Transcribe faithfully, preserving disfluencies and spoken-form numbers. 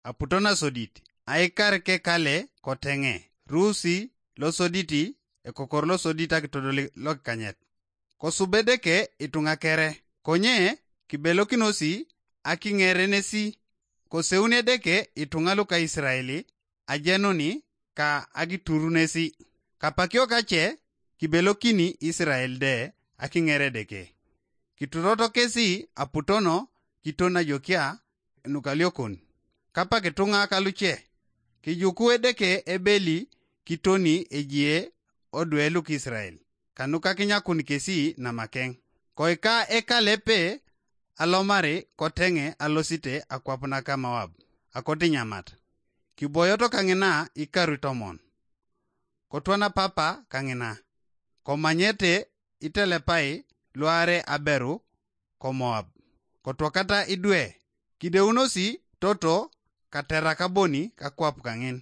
aputo nasodit, aikar kekale koteŋe, ruusi losoditi, ekokor losodit akitodoli lokikanyet. Kosub Edeke ituŋa kere, konye kibelokinosi akiŋerenesi. Koseun Edeke ituŋa luka Isirael ajenuni ka akiturunesi. Kapakio kace kibelokini Isirael de akiŋer Edeke. Kituroto kesi aputono kiton ajokia nukaliokon. Kapak ituŋa kaluce, kijuku Edeke ebeli kitoni ejie odwe luk Isirael, kanuka kinyakun kesi namakeŋ. Koika ekalepe alomari koteŋe alosite akwap naka Moab, akotinyamat. Kiboyoto kaŋina ikaru tomon. Kotwana papa kaŋina. Komanyete itelepai luare aberu ko Moab. Kotwakata idwe, kideunosi toto katerak aboni kakwap kaŋin.